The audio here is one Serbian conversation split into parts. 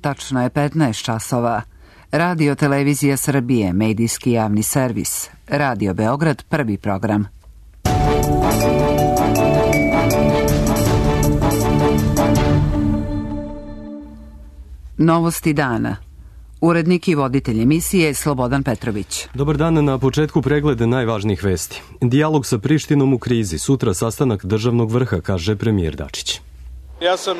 Tačno je 15 časova. Radio Televizija Srbije, medijski javni servis. Radio Beograd, prvi program. Novosti dana. Urednik i voditelj emisije Slobodan Petrović. Dobar dan, na početku pregleda najvažnijih vesti. Dijalog sa Prištinom u krizi, sutra sastanak državnog vrha, kaže premijer Dačić. Ja sam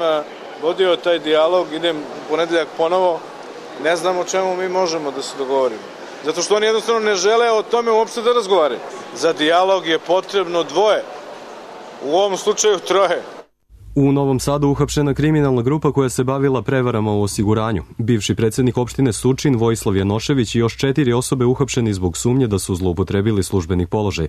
vodio taj dijalog, idem u ponedeljak ponovo, ne znam o čemu mi možemo da se dogovorimo. Zato što oni jednostavno ne žele o tome uopšte da razgovaraju. Za dijalog je potrebno dvoje, u ovom slučaju troje. U Novom Sadu uhapšena kriminalna grupa koja se bavila prevarama u osiguranju. Bivši predsjednik opštine Surčin, Vojislav Janošević i još 4 osobe uhapšeni zbog sumnje da su zloupotrebili službeni položaj.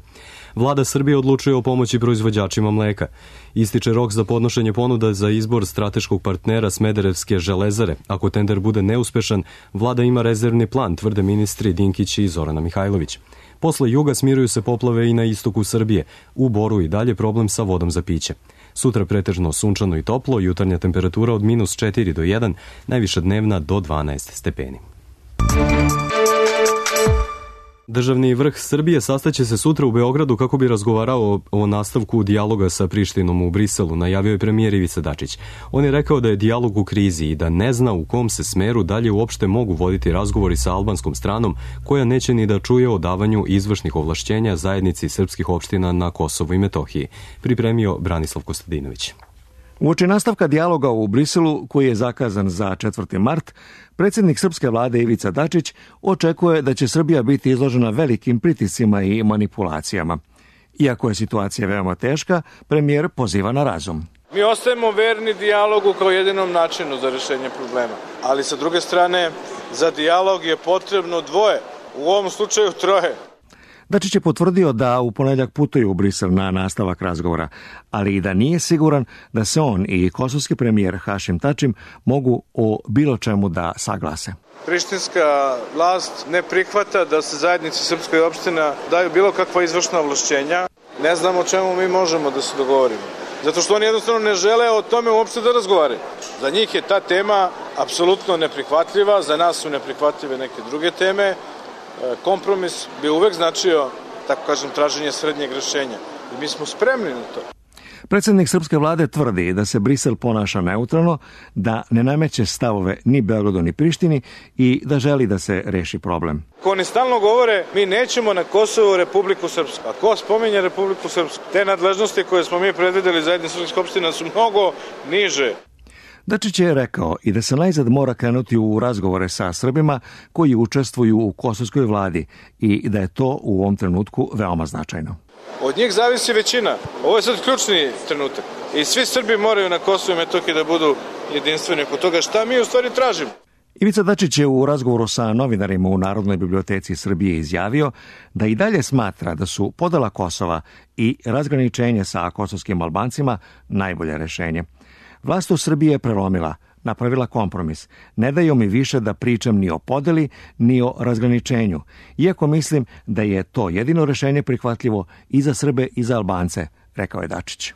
Vlada Srbije odlučuje o pomoći proizvođačima mleka. Ističe rok za podnošenje ponuda za izbor strateškog partnera Smederevske železare. Ako tender bude neuspešan, vlada ima rezervni plan, tvrde ministri Dinkić i Zorana Mihajlović. Posle juga smiruju se poplave i na istoku Srbije. U Boru i dalje problem sa vodom za piće. Sutra pretežno sunčano i toplo, jutarnja temperatura od -4 do 1, najviša dnevna do 12 stepeni. Državni vrh Srbije sastaće se sutra u Beogradu kako bi razgovarao o nastavku dijaloga sa Prištinom u Briselu, najavio je premijer Ivica Dačić. On je rekao da je dijalog u krizi i da ne zna u kom se smeru dalje uopšte mogu voditi razgovori sa albanskom stranom, koja neće ni da čuje o davanju izvršnih ovlašćenja zajednici srpskih opština na Kosovu i Metohiji, pripremio Branislav Kostadinović. Uoči nastavka dijaloga u Briselu, koji je zakazan za 4. mart, predsjednik srpske vlade Ivica Dačić očekuje da će Srbija biti izložena velikim pritiscima i manipulacijama. Iako je situacija veoma teška, premijer poziva na razum. Mi ostajemo verni dijalogu kao jedinom načinu za rešenje problema. Ali sa druge strane, za dijalog je potrebno dvoje, u ovom slučaju troje. Dačić je potvrdio da u ponedeljak putuje u Brisel na nastavak razgovora, ali i da nije siguran da se on i kosovski premijer Hašim Tačim mogu o bilo čemu da saglase. Prištinska vlast ne prihvata da se zajednici srpskoj opština daju bilo kakva izvršna ovlašćenja. Ne znam o čemu mi možemo da se dogovorimo. Zato što oni jednostavno ne žele o tome uopšte da razgovaraju. Za njih je ta tema apsolutno neprihvatljiva, za nas su neprihvatljive neke druge teme. Kompromis bi uvek značio, tako kažem, traženje srednjeg rešenja. I mi smo spremni na to. Predsjednik srpske vlade tvrdi da se Brisel ponaša neutralno, da ne nameće stavove ni Beogradu ni Prištini i da želi da se reši problem. Ko oni stalno govore, mi nećemo na Kosovu Republiku Srpsku. A ko spominje Republiku Srpsku? Te nadležnosti koje smo mi predvideli zajednice srpskih opština su mnogo niže. Dačić je rekao i da se najzad mora krenuti u razgovore sa Srbima koji učestvuju u kosovskoj vladi i da je to u ovom trenutku veoma značajno. Od njih zavisi većina. Ovo je sad ključni trenutak. I svi Srbi moraju na Kosovu i Metohiji da budu jedinstveni oko toga šta mi u stvari tražimo. Ivica Dačić je u razgovoru sa novinarima u Narodnoj biblioteci Srbije izjavio da i dalje smatra da su podela Kosova i razgraničenje sa kosovskim Albancima najbolje rešenje. Vlast u Srbiji je prelomila, napravila kompromis. Ne daju mi više da pričam ni o podeli, ni o razgraničenju, iako mislim da je to jedino rešenje prihvatljivo i za Srbe i za Albance, rekao je Dačić.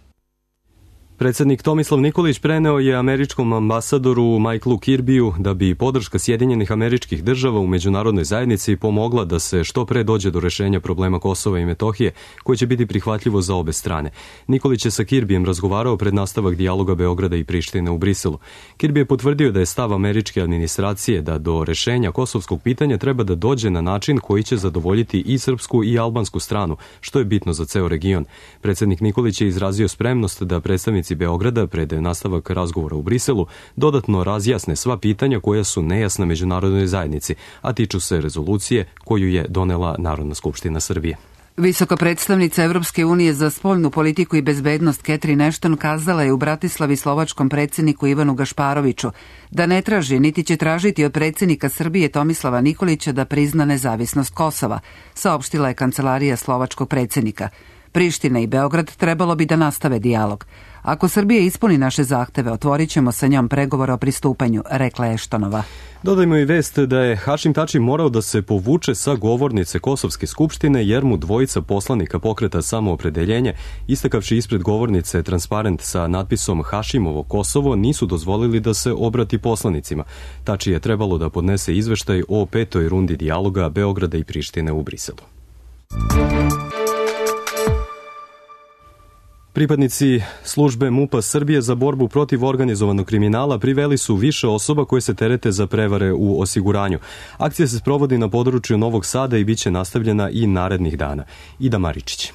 Predsjednik Tomislav Nikolić preneo je američkom ambasadoru Michaelu Kirbiju da bi podrška Sjedinjenih Američkih Država u međunarodnoj zajednici pomogla da se što pre dođe do rešenja problema Kosova i Metohije, koje će biti prihvatljivo za obe strane. Nikolić je sa Kirbijem razgovarao pred nastavak dijaloga Beograda i Prištine u Briselu. Kirbi je potvrdio da je stav američke administracije da do rešenja kosovskog pitanja treba da dođe na način koji će zadovoljiti i srpsku i albansku stranu, što je bitno za ceo region. Predsjednik Nikolić je izrazio spremnost da predstavnici Beograda pred nastavak razgovora u Briselu dodatno razjasne sva pitanja koja su nejasna međunarodnoj zajednici, a tiču se rezolucije koju je donela Narodna skupština Srbije. Visoka predstavnica Evropske unije za spoljnu politiku i bezbednost Catherine Ashton kazala je u Bratislavi slovačkom predsjedniku Ivanu Gašparoviću da ne traži niti će tražiti od predsjednika Srbije Tomislava Nikolića da prizna nezavisnost Kosova, saopštila je kancelarija slovačkog predsjednika. Priština i Beograd trebalo bi da nastave dijalog. Ako Srbija ispuni naše zahteve, otvorit ćemo sa njom pregovore o pristupanju, rekla je Eštonova. Dodajmo i vest da je Hašim Tači morao da se povuče sa govornice Kosovske skupštine jer mu dvojica poslanika Pokreta Samoopredeljenje, istakavši ispred govornice transparent sa natpisom Hašimovo Kosovo, nisu dozvolili da se obrati poslanicima. Tači je trebalo da podnese izveštaj o 5. rundi dijaloga Beograda i Prištine u Briselu. Pripadnici službe MUP-a Srbije za borbu protiv organizovanog kriminala priveli su više osoba koje se terete za prevare u osiguranju. Akcija se sprovodi na području Novog Sada i bit će nastavljena i narednih dana. Ida Maričić.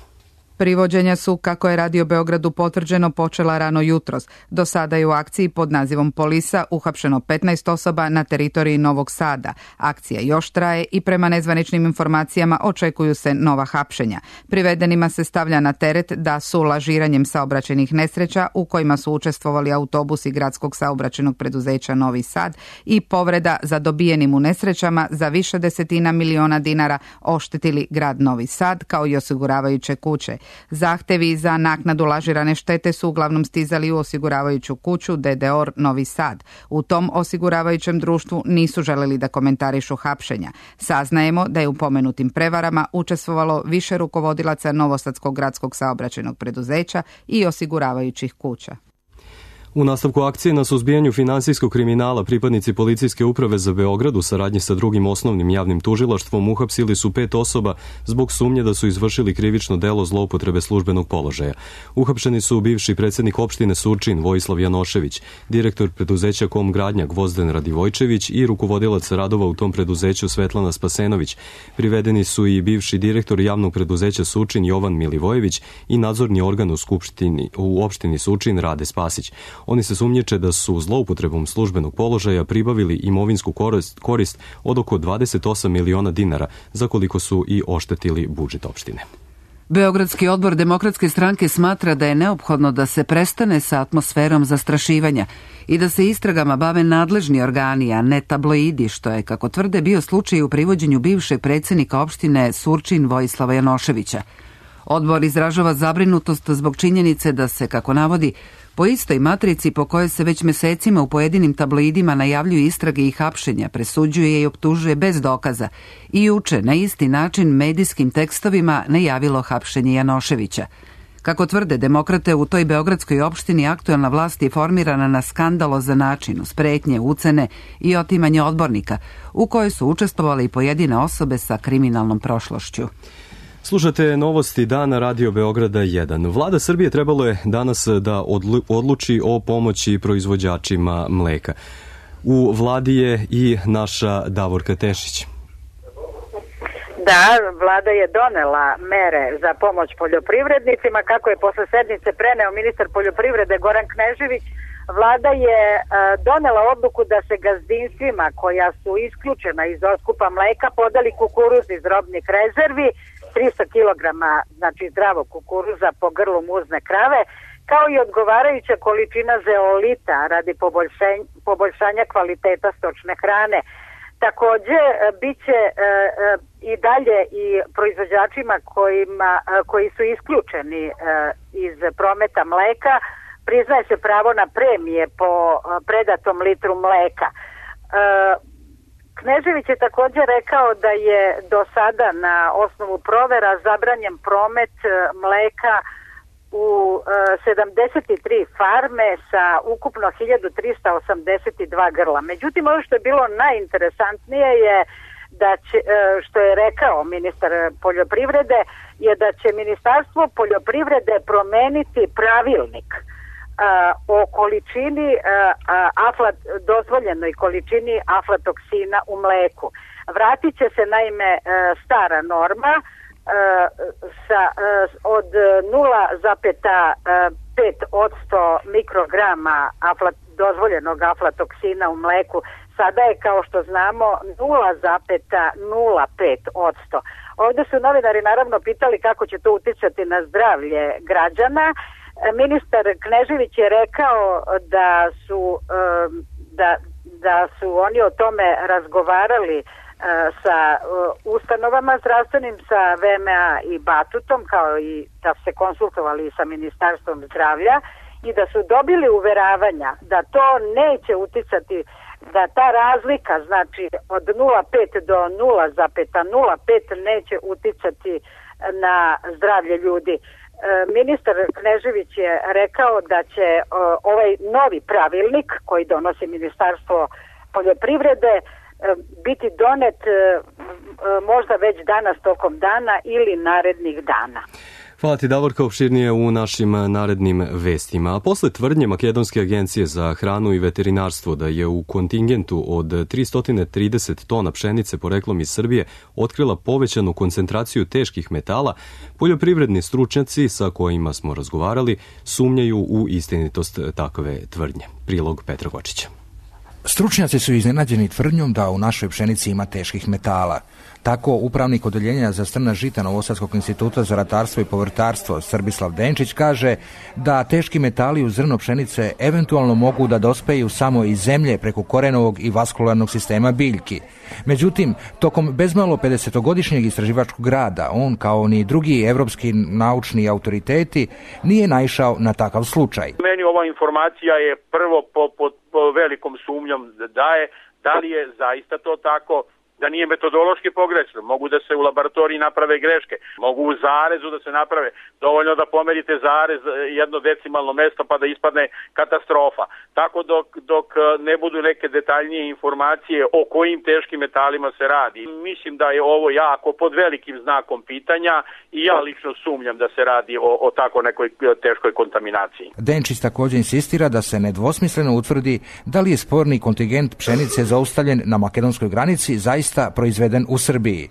Privođenja su, kako je Radio Beogradu potvrđeno, počela rano jutros. Do sada je u akciji pod nazivom Polisa uhapšeno 15 osoba na teritoriji Novog Sada. Akcija još traje i prema nezvaničnim informacijama očekuju se nova hapšenja. Privedenima se stavlja na teret da su lažiranjem saobraćajnih nesreća u kojima su učestvovali autobusi gradskog saobraćajnog preduzeća Novi Sad i povreda za dobijenim u nesrećama za više desetina miliona dinara oštetili grad Novi Sad kao i osiguravajuće kuće. Zahtevi za naknadu lažirane štete su uglavnom stizali u osiguravajuću kuću DDOR Novi Sad. U tom osiguravajućem društvu nisu želeli da komentarišu hapšenja. Saznajemo da je u pomenutim prevarama učestvovalo više rukovodilaca Novosadskog gradskog saobraćajnog preduzeća i osiguravajućih kuća. U nastavku akcije na suzbijanju finansijskog kriminala pripadnici Policijske uprave za Beograd u saradnji sa drugim osnovnim javnim tužilaštvom uhapsili su 5 osoba zbog sumnje da su izvršili krivično delo zloupotrebe službenog položaja. Uhapšeni su bivši predsjednik opštine Surčin Vojislav Janošević, direktor preduzeća Kom Gradnja Gvozden Radivojčević i rukovodilac radova u tom preduzeću Svetlana Spasenović. Privedeni su i bivši direktor javnog preduzeća Surčin Jovan Milivojević i nadzorni organ u opštini Surčin Rade Spasić. Oni se sumnjiče da su zloupotrebom službenog položaja pribavili imovinsku korist od oko 28 miliona dinara, za koliko su i oštetili budžet opštine. Beogradski odbor Demokratske stranke smatra da je neophodno da se prestane sa atmosferom zastrašivanja i da se istragama bave nadležni organi, a ne tabloidi, što je, kako tvrde, bio slučaj u privođenju bivšeg predsjednika opštine Surčin Vojislava Janoševića. Odbor izražava zabrinutost zbog činjenice da se, kako navodi, po istoj matrici po kojoj se već mesecima u pojedinim tabloidima najavljuju istrage i hapšenja, presuđuje i optužuje bez dokaza i juče na isti način medijskim tekstovima najavilo hapšenje Janoševića. Kako tvrde demokrate, u toj beogradskoj opštini aktuelna vlast je formirana na skandalozan način, uz pretnje, ucene i otimanje odbornika, u kojoj su učestvovali i pojedine osobe sa kriminalnom prošlošću. Slušate novosti dana Radio Beograda 1. Vlada Srbije trebalo je danas da odluči o pomoći proizvođačima mleka. U vladi je i naša Davorka Tešić. Da, vlada je donela mere za pomoć poljoprivrednicima. Kako je posle sednice preneo ministar poljoprivrede Goran Knežević, vlada je donela odluku da se gazdinstvima koja su isključena iz otkupa mleka podeli kukuruz iz robnih rezervi, 300 kg, znači zdravog kukuruza po grlu muzne krave, kao i odgovarajuća količina zeolita radi poboljšanja kvaliteta stočne hrane. Takođe, bit će i dalje i proizvođačima koji su isključeni iz prometa mleka, priznaje se pravo na premije po predatom litru mleka. Knežević je također rekao da je do sada na osnovu provera zabranjen promet mleka u 73 farme sa ukupno 1382 grla. Međutim, ono što je bilo najinteresantnije je da će, što je rekao ministar poljoprivrede, je da će Ministarstvo poljoprivrede promeniti pravilnik o količini dozvoljenoj količini aflatoksina u mleku. Vratit će se naime stara norma od 0,5% mikrograma dozvoljenog aflatoksina u mleku. Sada je, kao što znamo, 0,05%. Ovdje su novinari naravno pitali kako će to uticati na zdravlje građana. Ministar Knežević je rekao da su oni o tome razgovarali sa ustanovama zdravstvenim, sa VMA i Batutom, kao i da se konsultovali sa Ministarstvom zdravlja i da su dobili uveravanja da to neće uticati, da ta razlika, znači od 0,5 do 0,05 neće uticati na zdravlje ljudi. Ministar Knežević je rekao da će ovaj novi pravilnik koji donosi Ministarstvo poljoprivrede biti donet možda već danas tokom dana ili narednih dana. Hvala ti, Davorka, opširnije u našim narednim vestima. A posle tvrdnje Makedonske agencije za hranu i veterinarstvo da je u kontingentu od 330 tona pšenice poreklom iz Srbije otkrila povećanu koncentraciju teških metala, poljoprivredni stručnjaci sa kojima smo razgovarali sumnjaju u istinitost takve tvrdnje. Prilog Petra Gočića. Stručnjaci su iznenađeni tvrdnjom da u našoj pšenici ima teških metala. Tako, upravnik odeljenja za strna žita Novosadskog instituta za ratarstvo i povrtarstvo Srbislav Denčić kaže da teški metali u zrno pšenice eventualno mogu da dospeju samo iz zemlje preko korenovog i vaskularnog sistema biljki. Međutim, tokom bezmalo 50-godišnjeg istraživačkog rada, on kao ni drugi evropski naučni autoriteti nije naišao na takav slučaj. Meni ova informacija je prvo po velikom sumnjom da li je zaista to tako, da nije metodološki pogrešno. Mogu da se u laboratoriji naprave greške, mogu u zarezu da se naprave, dovoljno da pomerite zarez jedno decimalno mesto pa da ispadne katastrofa. Tako dok ne budu neke detaljnije informacije o kojim teškim metalima se radi. Mislim da je ovo jako pod velikim znakom pitanja i ja lično sumnjam da se radi o tako nekoj teškoj kontaminaciji. Denčić također insistira da se nedvosmisleno utvrdi da li je sporni kontingent pšenice zaustavljen na makedonskoj granici zaista proizveden u Srbiji.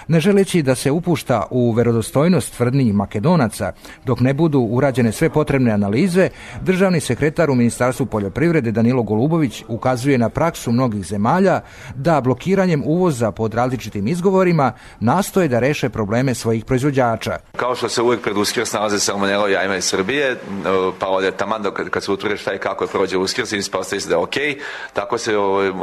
Ne želeći da se upušta u verodostojnost tvrdnji Makedonaca, dok ne budu urađene sve potrebne analize, državni sekretar u Ministarstvu poljoprivrede Danilo Golubović ukazuje na praksu mnogih zemalja da blokiranjem uvoza pod različitim izgovorima nastoje da reše probleme svojih proizvođača. Kao što se uvijek pred Uskrs nalaze salmonela jajima iz Srbije, pa ovdje taman kad se utvrdi šta i kako je prođe Uskrs i ispostavi se da je okej, tako se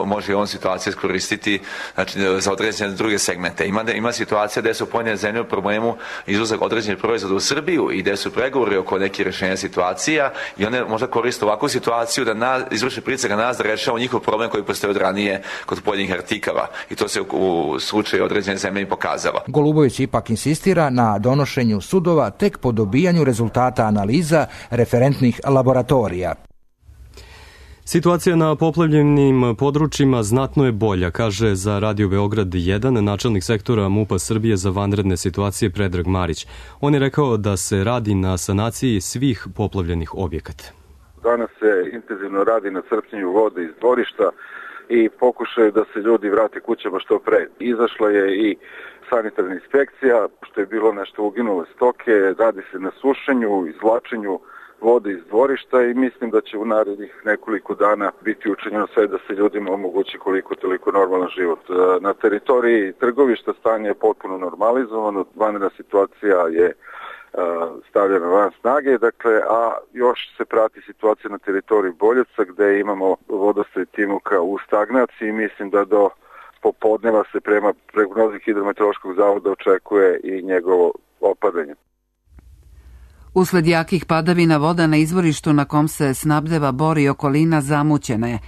može i ovom situaciju iskoristiti, znači, za određene druge segmente. Ima situacija gde su pojedine zemlje u problemu izvozak određenih proizvoda u Srbiju i gde su pregovori oko nekih rešenja situacija i one možda koriste ovakvu situaciju da izvrše pritisak na nas da rešavamo njihov problem koji postoji od ranije kod pojedinih artikala i to se u slučaju određene zemlje i pokazalo. Golubović ipak insistira na donošenju sudova tek po dobijanju rezultata analiza referentnih laboratorija. Situacija na poplavljenim područjima znatno je bolja, kaže za Radio Beograd 1 načelnik sektora MUP-a Srbije za vanredne situacije Predrag Marić. On je rekao da se radi na sanaciji svih poplavljenih objekata. Danas se intenzivno radi na crpljenju vode iz dvorišta i pokušaju da se ljudi vrate kućama što pre. Izašla je i sanitarna inspekcija, što je bilo nešto uginule stoke, radi se na sušenju, izvlačenju vode iz dvorišta i mislim da će u narednih nekoliko dana biti učinjeno sve da se ljudima omogući koliko toliko normalan život. Na teritoriji Trgovišta stanje je potpuno normalizovano, vanredna situacija je stavljena van snage, dakle, a još se prati situacija na teritoriji Boljevca gde imamo vodostaj Timuka u stagnaciji i mislim da do popodneva se prema prognozi Hidrometeorološkog zavoda očekuje i njegovo opadanje. Usled jakih padavina voda na izvorištu na kom se snabdeva Bor i okolina zamućena je,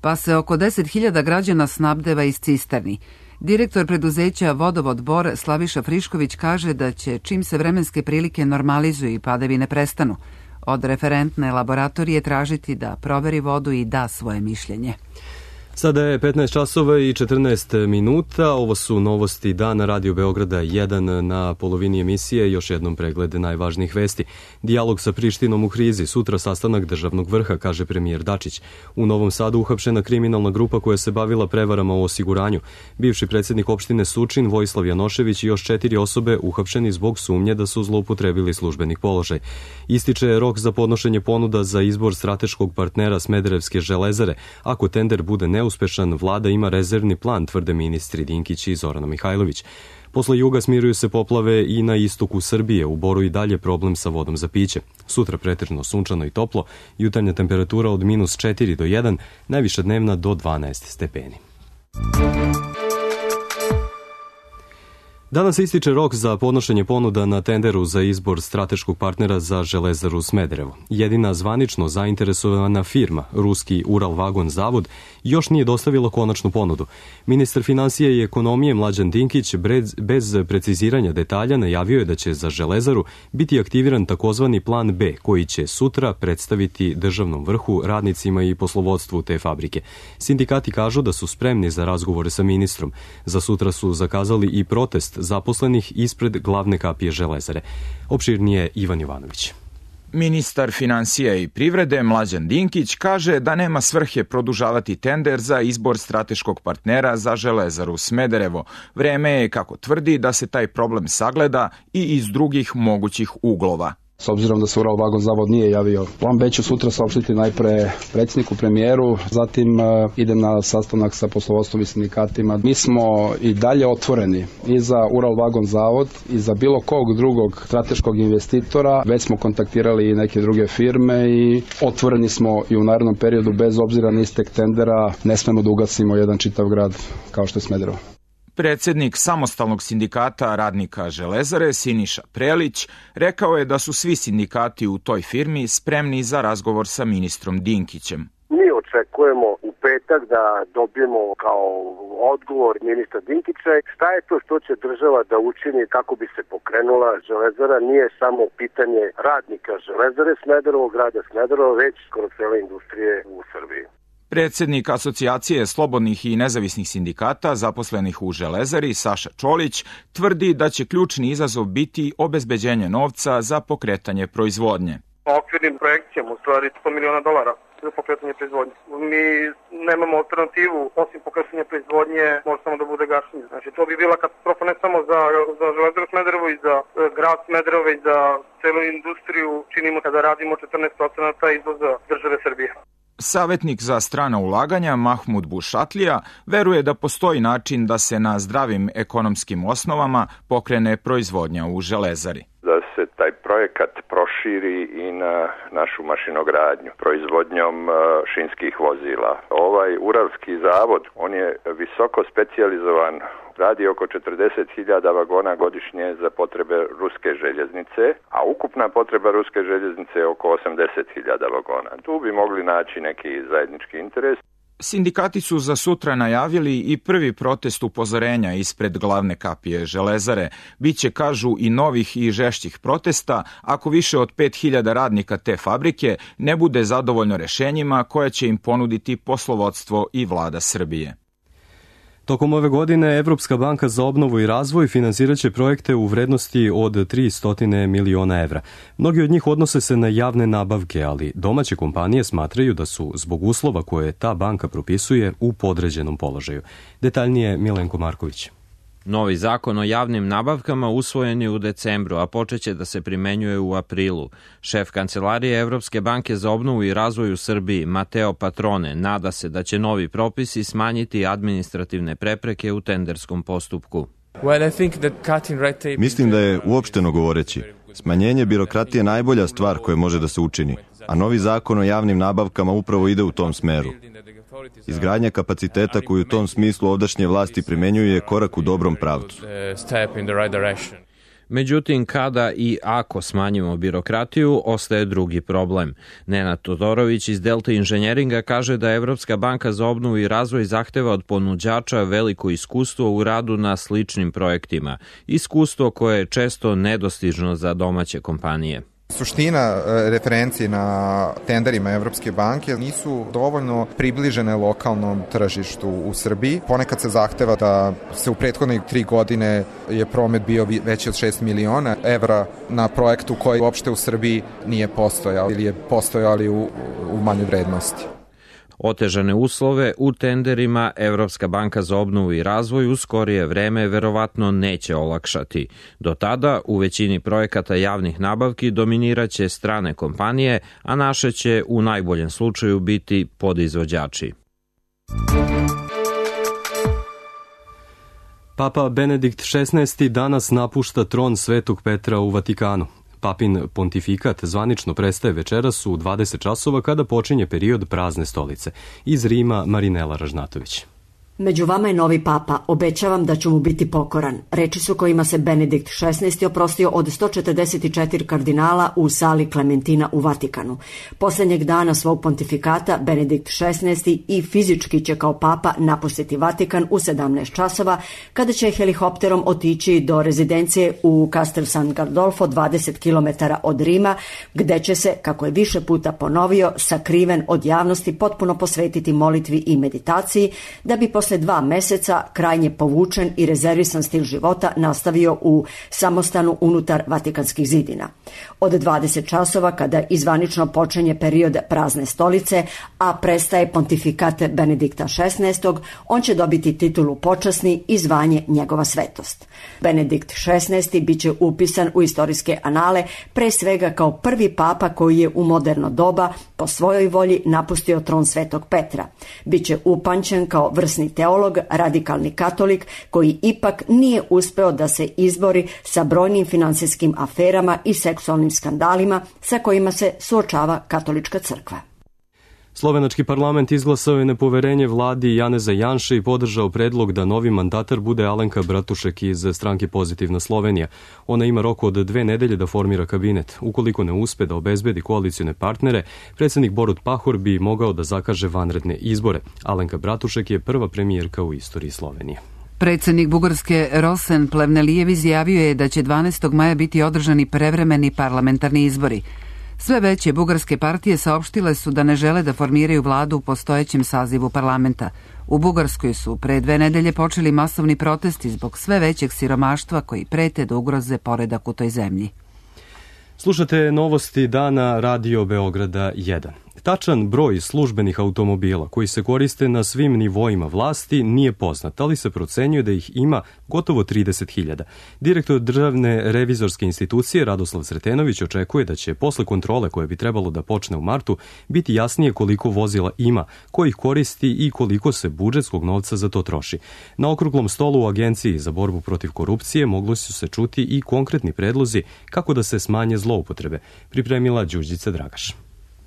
pa se oko 10.000 građana snabdeva iz cisterni. Direktor preduzeća Vodovod Bor Slaviša Frišković kaže da će čim se vremenske prilike normalizuju i padavine prestanu, od referentne laboratorije tražiti da proveri vodu i da svoje mišljenje. Sada je 15 časova i 14 minuta. Ovo su novosti dana Radio Beograda 1 na polovini emisije. Još jednom pregled najvažnijih vesti. Dijalog sa Prištinom u krizi. Sutra sastanak državnog vrha, kaže premijer Dačić. U Novom Sadu uhapšena kriminalna grupa koja se bavila prevarama u osiguranju. Bivši predsjednik opštine Sučin, Vojislav Janošević i još 4 osobe uhapšeni zbog sumnje da su zloupotrebili službenih položaj. Ističe rok za podnošenje ponuda za izbor strateškog partnera Smederevske železare. Ako tender bude neuspešan, vlada ima rezervni plan, tvrde ministri Dinkić i Zorana Mihajlović. Posle juga smiruju se poplave i na istoku Srbije, u Boru i dalje problem sa vodom za piće. Sutra pretežno sunčano i toplo, jutarnja temperatura od -4 do 1, najviša dnevna do 12 stepeni. Danas ističe rok za podnošenje ponuda na tenderu za izbor strateškog partnera za Železaru Smederevo. Jedina zvanično zainteresovana firma, ruski Uralvagon Zavod, još nije dostavila konačnu ponudu. Ministar financija i ekonomije Mlađan Dinkić bez preciziranja detalja najavio je da će za Železaru biti aktiviran takozvani plan B, koji će sutra predstaviti državnom vrhu, radnicima i poslovodstvu te fabrike. Sindikati kažu da su spremni za razgovore sa ministrom. Za sutra su zakazali i protest zaposlenih ispred glavne kapije Železare. Opširnije Ivan Jovanović. Ministar financija i privrede Mlađan Dinkić kaže da nema svrhe produžavati tender za izbor strateškog partnera za Železaru Smederevo. Vreme je, kako tvrdi, da se taj problem sagleda i iz drugih mogućih uglova. S obzirom da se Uralvagon Zavod nije javio, plan B ću sutra saopštiti najpre predsjedniku, premijeru, zatim idem na sastanak sa poslovodstvom i sindikatima. Mi smo i dalje otvoreni i za Uralvagon Zavod i za bilo kog drugog strateškog investitora. Već smo kontaktirali i neke druge firme i otvoreni smo i u narednom periodu, bez obzira na istek tendera, ne smemo da ugasimo jedan čitav grad kao što je Smederevo. Predsjednik samostalnog sindikata radnika Železare, Siniša Prelić, rekao je da su svi sindikati u toj firmi spremni za razgovor sa ministrom Dinkićem. Mi očekujemo u petak da dobijemo kao odgovor ministra Dinkića šta je to što će država da učini kako bi se pokrenula Železara. Nije samo pitanje radnika Železare Smederevo, grada Smederevo, već skoro cele industrije u Srbiji. Predsjednik Asocijacije slobodnih i nezavisnih sindikata zaposlenih u Železari, Saša Čolić, tvrdi da će ključni izazov biti obezbeđenje novca za pokretanje proizvodnje. Okvirnim projekcijama, u stvari $100 miliona za pokretanje proizvodnje. Mi nemamo alternativu, osim pokretanja proizvodnje, može samo da bude gašenje. Znači, to bi bila katastrofa ne samo za Železaru Smederevo i za grad Smederevo i za celu industriju. Činimo kada radimo 14% izvoza države Srbije. Savjetnik za strana ulaganja Mahmud Bušatlija veruje da postoji način da se na zdravim ekonomskim osnovama pokrene proizvodnja u Železari. Da se taj projekat proširi i na našu mašinogradnju proizvodnjom šinskih vozila. Ovaj Uralski zavod, on je visoko specijalizovan, radi oko 40.000 vagona godišnje za potrebe ruske željeznice, a ukupna potreba ruske željeznice je oko 80.000 vagona. Tu bi mogli naći neki zajednički interes. Sindikati su za sutra najavili i prvi protest upozorenja ispred glavne kapije Železare. Biće, kažu, i novih i žešćih protesta ako više od 5.000 radnika te fabrike ne bude zadovoljno rešenjima koje će im ponuditi poslovodstvo i vlada Srbije. Tokom ove godine Evropska banka za obnovu i razvoj finansirat će projekte u vrednosti od 300 miliona evra. Mnogi od njih odnose se na javne nabavke, ali domaće kompanije smatraju da su zbog uslova koje ta banka propisuje u podređenom položaju. Detaljnije Milenko Marković. Novi zakon o javnim nabavkama usvojen je u decembru, a počeće da se primenjuje u aprilu. Šef Kancelarije Evropske banke za obnovu i razvoj u Srbiji, Mateo Patrone, nada se da će novi propisi smanjiti administrativne prepreke u tenderskom postupku. Mislim da je, uopšteno govoreći, smanjenje birokratije najbolja stvar koja može da se učini, a novi zakon o javnim nabavkama upravo ide u tom smeru. Izgradnja kapaciteta koju u tom smislu ovdašnje vlasti primenjuju je korak u dobrom pravcu. Međutim, kada i ako smanjimo birokratiju, ostaje drugi problem. Nenad Todorović iz Delta Inženjeringa kaže da Evropska banka za obnovu i razvoj zahteva od ponuđača veliko iskustvo u radu na sličnim projektima. Iskustvo koje je često nedostižno za domaće kompanije. Suština referencije na tenderima Evropske banke nisu dovoljno približene lokalnom tržištu u Srbiji. Ponekad se zahteva da se u prethodnih 3 godine je promet bio veći od 6 miliona evra na projektu koji uopšte u Srbiji nije postojao ili je postojao ali u manjoj vrednosti. Otežane uslove u tenderima Evropska banka za obnovu i razvoj u skorije vreme verovatno neće olakšati. Do tada u većini projekata javnih nabavki dominiraće strane kompanije, a naše će u najboljem slučaju biti podizvođači. Papa Benedikt XVI. Danas napušta tron Svetog Petra u Vatikanu. Papin pontifikat zvanično prestaje večeras u 20 časova kada počinje period prazne stolice. Iz Rima Marinela Ražnatović. Među vama je novi papa, obećavam da ću mu biti pokoran. Reči su kojima se Benedikt XVI oprostio od 144 kardinala u sali Klementina u Vatikanu. Posljednjeg dana svog pontifikata Benedikt XVI i fizički će kao papa napustiti Vatikan u 17 časova, kada će helikopterom otići do rezidencije u Castel San Gandolfo 20 km od Rima, gde će se, kako je više puta ponovio, sakriven od javnosti potpuno posvetiti molitvi i meditaciji, da bi posle 2 meseca krajnje povučen i rezervisan stil života nastavio u samostanu unutar Vatikanskih zidina. Od 20 časova, kada izvanično počinje period prazne stolice, a prestaje pontifikat Benedikta XVI, on će dobiti titulu počasni i zvanje njegova svetost. Benedikt XVI bit će upisan u istorijske anale pre svega kao prvi papa koji je u moderno doba po svojoj volji napustio tron Svetog Petra. Biće upamćen kao vrsni teolog, radikalni katolik koji ipak nije uspeo da se izbori sa brojnim finansijskim aferama i seksualnim skandalima sa kojima se suočava katolička crkva. Slovenački parlament izglasao je nepoverenje vladi Janeza Janše i podržao predlog da novi mandatar bude Alenka Bratušek iz stranke Pozitivna Slovenija. Ona ima rok od 2 nedelje da formira kabinet. Ukoliko ne uspe da obezbedi koalicione partnere, predsjednik Borut Pahor bi mogao da zakaže vanredne izbore. Alenka Bratušek je prva premijerka u istoriji Slovenije. Predsjednik Bugarske Rosen Plevnelijev izjavio je da će 12. maja biti održani prevremeni parlamentarni izbori. Sve veće bugarske partije saopštile su da ne žele da formiraju vladu u postojećem sazivu parlamenta. U Bugarskoj su pre 2 nedelje počeli masovni protesti zbog sve većeg siromaštva koji prete da ugroze poredak u toj zemlji. Slušate novosti dana Radio Beograda 1. Tačan broj službenih automobila koji se koriste na svim nivoima vlasti nije poznat, ali se procenjuje da ih ima gotovo 30.000. Direktor Državne revizorske institucije Radoslav Sretenović očekuje da će posle kontrole koje bi trebalo da počne u martu biti jasnije koliko vozila ima, ko ih koristi i koliko se budžetskog novca za to troši. Na okruglom stolu u Agenciji za borbu protiv korupcije mogli su se čuti i konkretni predlozi kako da se smanje zloupotrebe, pripremila Đurđica Dragaš.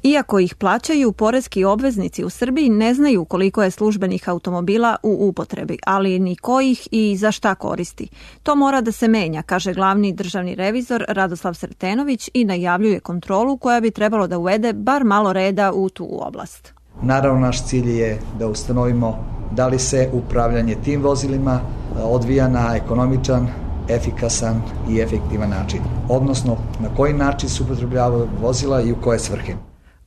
Iako ih plaćaju, poreski obveznici u Srbiji ne znaju koliko je službenih automobila u upotrebi, ali ni ko ih i za šta koristi. To mora da se menja, kaže glavni državni revizor Radoslav Sretenović i najavljuje kontrolu koja bi trebalo da uvede bar malo reda u tu oblast. Naravno, naš cilj je da ustanovimo da li se upravljanje tim vozilima odvija na ekonomičan, efikasan i efektivan način, odnosno na koji način se upotrebljavaju vozila i u koje svrhe.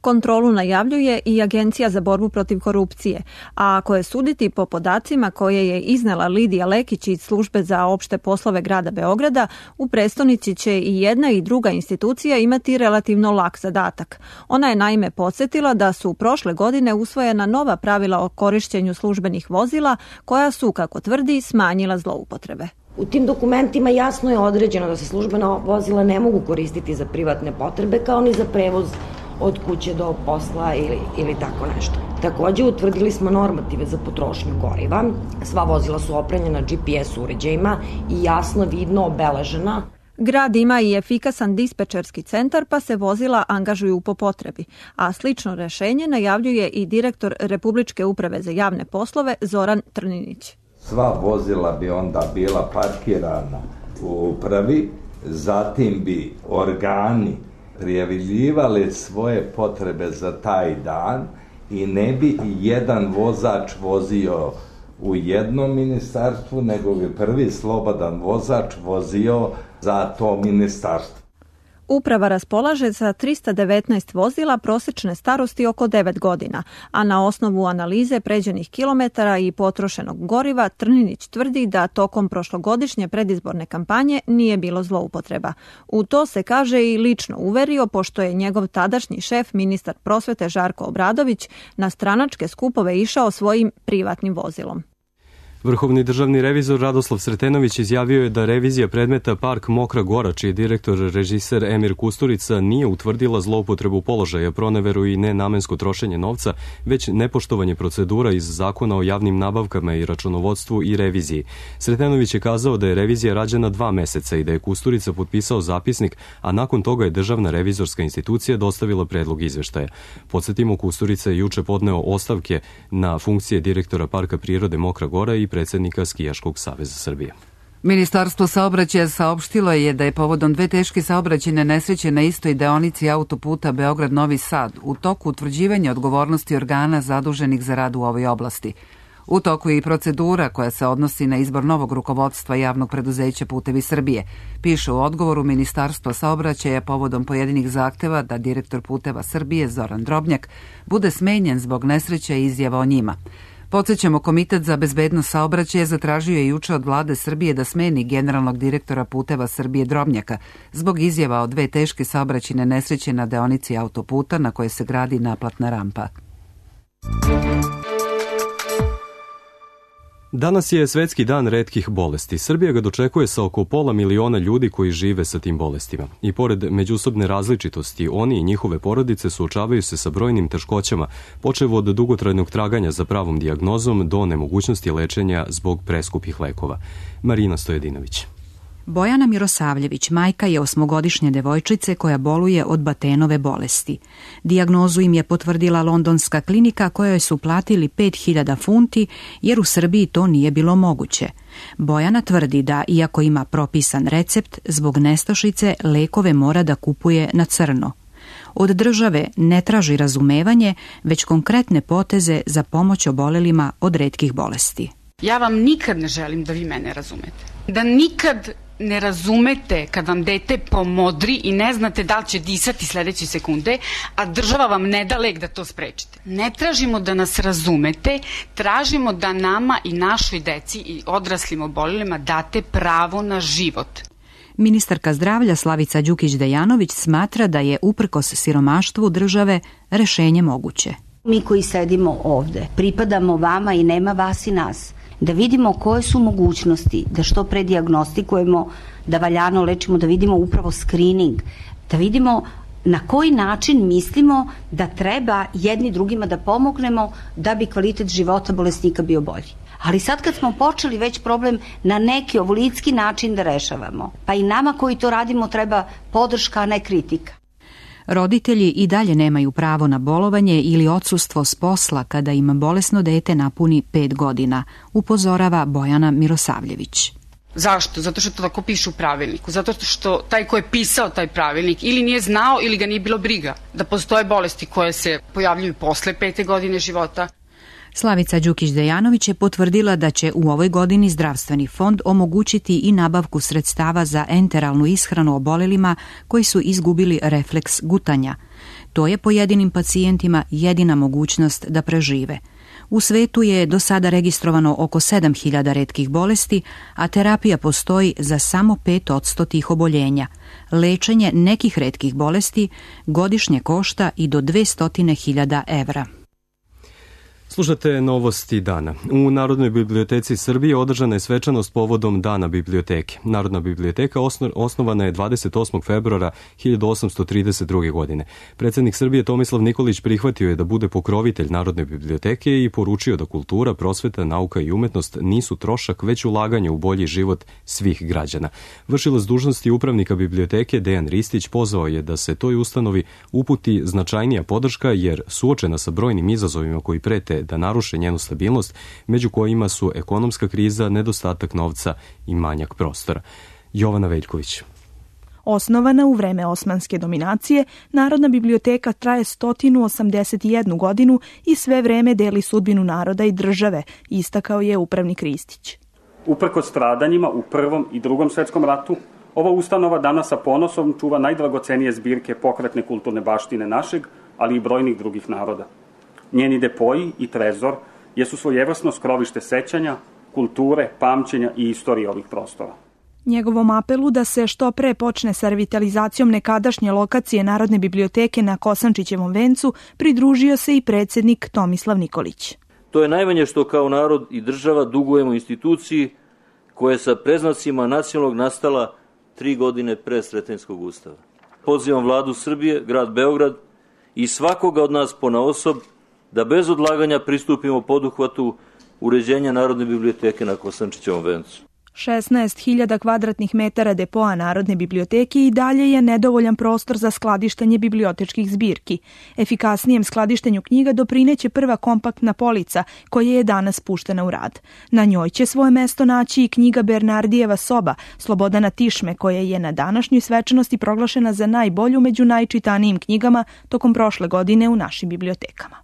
Kontrolu najavljuje i Agencija za borbu protiv korupcije, a ako je suditi po podacima koje je iznela Lidija Lekić iz Službe za opšte poslove grada Beograda, u prestonici će i jedna i druga institucija imati relativno lak zadatak. Ona je naime podsjetila da su prošle godine usvojena nova pravila o korišćenju službenih vozila koja su, kako tvrdi, smanjila zloupotrebe. U tim dokumentima jasno je određeno da se službena vozila ne mogu koristiti za privatne potrebe kao ni za prevoz od kuće do posla ili tako nešto. Takođe, utvrdili smo normative za potrošnju goriva. Sva vozila su opremljena GPS uređajima i jasno vidno obeležena. Grad ima i efikasan dispečerski centar, pa se vozila angažuju po potrebi, a slično rešenje najavljuje i direktor Republičke uprave za javne poslove Zoran Trninić. Sva vozila bi onda bila parkirana u upravi, zatim bi organi prijavljivali svoje potrebe za taj dan i ne bi jedan vozač vozio u jednom ministarstvu, nego bi prvi slobodan vozač vozio za to ministarstvo. Uprava raspolaže sa 319 vozila prosječne starosti oko 9 godina, a na osnovu analize pređenih kilometara i potrošenog goriva Trninić tvrdi da tokom prošlogodišnje predizborne kampanje nije bilo zloupotreba. U to se, kaže, i lično uverio, pošto je njegov tadašnji šef, ministar prosvete Žarko Obradović, na stranačke skupove išao svojim privatnim vozilom. Vrhovni državni revizor Radoslav Sretenović izjavio je da revizija predmeta Park Mokra Gora, čiji je direktor režiser Emir Kusturica, nije utvrdila zloupotrebu položaja, proneveru i nenamensko trošenje novca, već nepoštovanje procedura iz Zakona o javnim nabavkama i računovodstvu i reviziji. Sretenović je kazao da je revizija rađena 2 meseca i da je Kusturica potpisao zapisnik, a nakon toga je Državna revizorska institucija dostavila predlog izveštaja. Podsjetimo, Kusturica je juče podneo ostavke na funkcije direktora Parka prirode Mokra Gora i predsednika Skijaškog saveza Srbije. Ministarstvo saobraćaja saopštilo je da je povodom 2 teške saobraćajne nesreće na istoj deonici autoputa Beograd-Novi Sad u toku utvrđivanja odgovornosti organa zaduženih za rad u ovoj oblasti. U toku je i procedura koja se odnosi na izbor novog rukovodstva javnog preduzeća Putevi Srbije. Piše u odgovoru Ministarstva saobraćaja povodom pojedinih zahteva da direktor Puteva Srbije Zoran Drobnjak bude smenjen zbog nesreća i izjava o njima. Podsećamo, Komitet za bezbednost saobraćaja zatražio je juče od vlade Srbije da smeni generalnog direktora Puteva Srbije Drobnjaka zbog izjava o 2 teške saobraćajne nesreće na deonici autoputa na kojoj se gradi naplatna rampa. Danas je Svetski dan retkih bolesti. Srbija ga dočekuje sa oko 500.000 ljudi koji žive sa tim bolestima. I pored međusobne različitosti, oni i njihove porodice suočavaju se sa brojnim teškoćama, počev od dugotrajnog traganja za pravom dijagnozom do nemogućnosti lečenja zbog preskupih lekova. Marina Stojedinović. Bojana Mirosavljević majka je 8-godišnje devojčice koja boluje od Batenove bolesti. Dijagnozu im je potvrdila londonska klinika kojoj su platili 5.000 funti jer u Srbiji to nije bilo moguće. Bojana tvrdi da, iako ima propisan recept, zbog nestašice lekove mora da kupuje na crno. Od države ne traži razumevanje, već konkretne poteze za pomoć obolelima od retkih bolesti. Ja vam nikad ne želim da vi mene razumete. Da nikad ne razumete kad vam dete pomodri i ne znate da li će disati sledeće sekunde, a država vam ne da lek da to sprečite. Ne tražimo da nas razumete, tražimo da nama i našoj deci i odraslim obolelima date pravo na život. Ministarka zdravlja Slavica Đukić-Dejanović smatra da je uprkos siromaštvu države rešenje moguće. Mi koji sedimo ovde, pripadamo vama i nema vas i nas. Da vidimo koje su mogućnosti, da što pre dijagnostikujemo, da valjano lečimo, da vidimo upravo screening, da vidimo na koji način mislimo da treba jedni drugima da pomognemo da bi kvalitet života bolesnika bio bolji. Ali sad kad smo počeli već problem na neki ovolitski način da rešavamo, pa i nama koji to radimo treba podrška, a ne kritika. Roditelji i dalje nemaju pravo na bolovanje ili odsustvo s posla kada im bolesno dete napuni 5 godina, upozorava Bojana Mirosavljević. Zašto? Zato što to tako piše u pravilniku. Zato što taj ko je pisao taj pravilnik ili nije znao ili ga nije bilo briga da postoje bolesti koje se pojavljuju posle 5. godine života. Slavica Đukić-Dejanović je potvrdila da će u ovoj godini Zdravstveni fond omogućiti i nabavku sredstava za enteralnu ishranu obolelima koji su izgubili refleks gutanja. To je pojedinim pacijentima jedina mogućnost da prežive. U svetu je do sada registrovano oko 7.000 retkih bolesti, a terapija postoji za samo 5% tih oboljenja. Lečenje nekih retkih bolesti godišnje košta i do 200.000 evra. Slušate novosti dana. U Narodnoj biblioteci Srbije održana je svečanost povodom Dana biblioteke. Narodna biblioteka osnovana je 28. februara 1832. godine. Predsjednik Srbije Tomislav Nikolić prihvatio je da bude pokrovitelj Narodne biblioteke i poručio da kultura, prosveta, nauka i umetnost nisu trošak, već ulaganje u bolji život svih građana. Vršilac dužnosti upravnika biblioteke Dejan Ristić pozvao je da se toj ustanovi uputi značajnija podrška jer suočena sa brojnim izazovima koji prete da naruše njenu stabilnost, među kojima su ekonomska kriza, nedostatak novca i manjak prostora. Jovana Veljković. Osnovana u vreme osmanske dominacije, Narodna biblioteka traje 181 godinu i sve vreme deli sudbinu naroda i države, istakao je upravnik Ristić. Uprkos stradanjima u Prvom i Drugom svetskom ratu, ova ustanova danas sa ponosom čuva najdragocenije zbirke pokretne kulturne baštine našeg, ali i brojnih drugih naroda. Njeni depoji i trezor jesu svojevrsno skrovište sećanja, kulture, pamćenja i istorije ovih prostora. Njegovom apelu da se što pre počne sa revitalizacijom nekadašnje lokacije Narodne biblioteke na Kosančićevom vencu pridružio se i predsjednik Tomislav Nikolić. To je najmanje što kao narod i država dugujemo instituciji koja je sa preznacima nacionalnog nastala 3 godine pre Sretenjskog ustava. Pozivam vladu Srbije, grad Beograd i svakoga od nas ponaosob da bez odlaganja pristupimo poduhvatu uređenja Narodne biblioteke na Kosančićevom vencu. 16.000 kvadratnih metara depoa Narodne biblioteke i dalje je nedovoljan prostor za skladištenje bibliotečkih zbirki. Efikasnijem skladištenju knjiga doprineće prva kompaktna polica koja je danas puštena u rad. Na njoj će svoje mesto naći i knjiga Bernardijeva soba Slobodana Tišme koja je na današnjoj svečanosti proglašena za najbolju među najčitanijim knjigama tokom prošle godine u našim bibliotekama.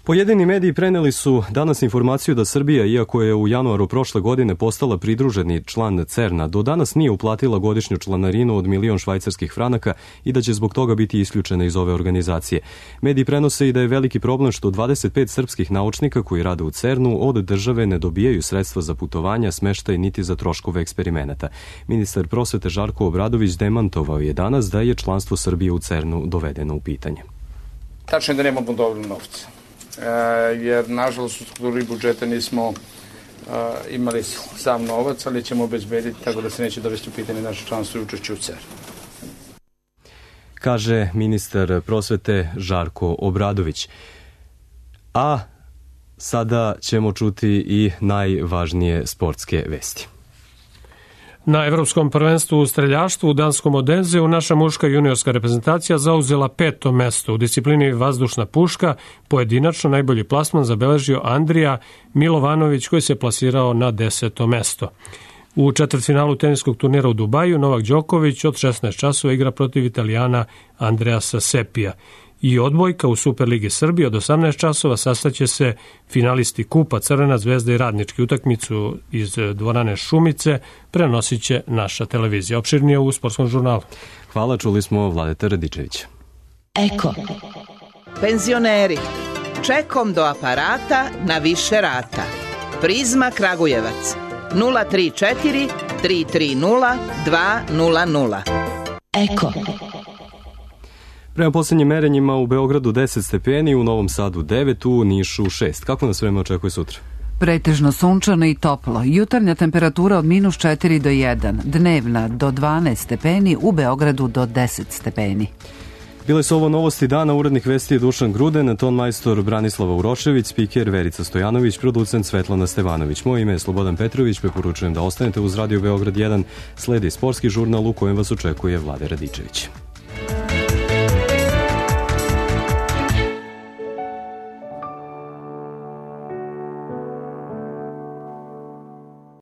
Pojedini mediji preneli su danas informaciju da Srbija, iako je u januaru prošle godine postala pridruženi član CERN-a, do danas nije uplatila godišnju članarinu od 1.000.000 švajcarskih franaka i da će zbog toga biti isključena iz ove organizacije. Mediji prenose i da je veliki problem što 25 srpskih naučnika koji rade u CERN-u od države ne dobijaju sredstva za putovanja, smeštaj niti za troškove eksperimenata. Ministar prosvete Žarko Obradović demantovao je danas da je članstvo Srbije u CERN-u dovedeno u pitanje. Tačno je da nemamo dovoljno novca. Jer nažalost u strukturi budžeta nismo imali sam novac, ali ćemo obezbediti tako da se neće dovesti u pitanje naše članstvo i učešće u CERN. Kaže ministar prosvete Žarko Obradović. A sada ćemo čuti i najvažnije sportske vesti. Na Evropskom prvenstvu u streljaštvu u danskom Odenzeu naša muška juniorska reprezentacija zauzela 5. mesto. U disciplini vazdušna puška pojedinačno najbolji plasman zabeležio Andrija Milovanović koji se plasirao na 10. mesto. U četvrtfinalu teniskog turnira u Dubaju Novak Đoković od 16 časova igra protiv Italijana Andreasa Sepija. I odbojka u Superligi Srbije od 18 časova sastaće se finalisti Kupa Crvena zvezda i Radnički. Utakmicu iz dvorane Šumice prenosit će naša televizija. Opširnije u Sportskom žurnalu. Hvala, čuli smo Vladeta Radičevića. Eko. Penzioneri. Čekom do aparata na više rata. Prizma Kragujevac. 034 330 200. Eko. Prema posljednjim merenjima u Beogradu 10 stepeni, u Novom Sadu 9, u Nišu 6. Kako nas vreme očekuje sutra? Pretežno sunčano i toplo. Jutarnja temperatura od -4 do 1, dnevna do 12 stepeni, u Beogradu do 10 stepeni. Bile su ovo novosti dana, urednik vesti je Dušan Gruden, ton majstor Branislava Urošević, spiker Verica Stojanović, producent Svetlana Stevanović. Moje ime je Slobodan Petrović, preporučujem da ostanete uz Radio Beograd 1, sledi sportski žurnal u kojem vas očekuje Vlade Radičević.